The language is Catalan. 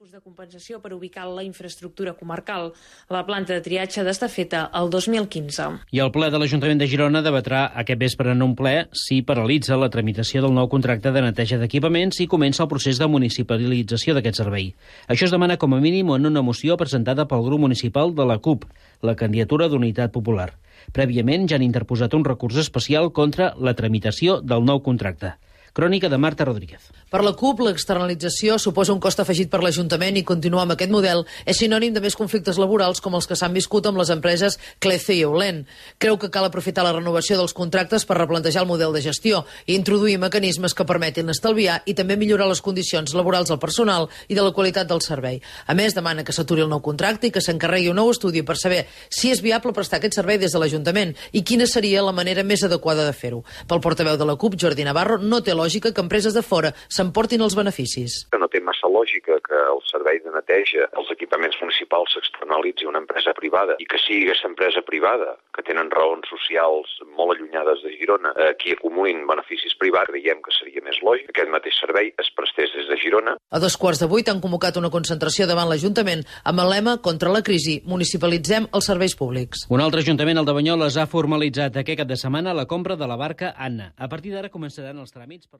de compensació per ubicar la infraestructura comarcal. La planta de triatge ha d'estar feta el 2015. I el ple de l'Ajuntament de Girona debatrà aquest vespre en un ple si paralitza la tramitació del nou contracte de neteja d'equipaments i comença el procés de municipalització d'aquest servei. Això es demana com a mínim en una moció presentada pel grup municipal de la CUP, la candidatura d'Unitat Popular. Prèviament ja han interposat un recurs especial contra la tramitació del nou contracte. Crònica de Marta Rodríguez. Per la CUP, l'externalització suposa un cost afegit per l'Ajuntament i continuar amb aquest model és sinònim de més conflictes laborals com els que s'han viscut amb les empreses Clece i Eulen. Creu que cal aprofitar la renovació dels contractes per replantejar el model de gestió i introduir mecanismes que permetin estalviar i també millorar les condicions laborals del personal i de la qualitat del servei. A més, demana que s'aturi el nou contracte i que s'encarregui un nou estudi per saber si és viable prestar aquest servei des de l'Ajuntament i quina seria la manera més adequada de fer-ho. Pel portaveu de la CUP, Jordi Navarro, no té lògica que empreses de fora s'emportin els beneficis. No té massa lògica que el servei de neteja, els equipaments municipals s'externalitzi a una empresa privada i que sigui aquesta empresa privada, que tenen raons socials molt allunyades de Girona, qui acumulin beneficis privats. Creiem que seria més lògic que aquest mateix servei es prestés des de Girona. A 7:15 han convocat una concentració davant l'Ajuntament amb el lema contra la crisi, municipalitzem els serveis públics. Un altre ajuntament, el de Banyoles, ha formalitzat aquest cap de setmana la compra de la barca Anna. A partir d'ara començaran els tràmits per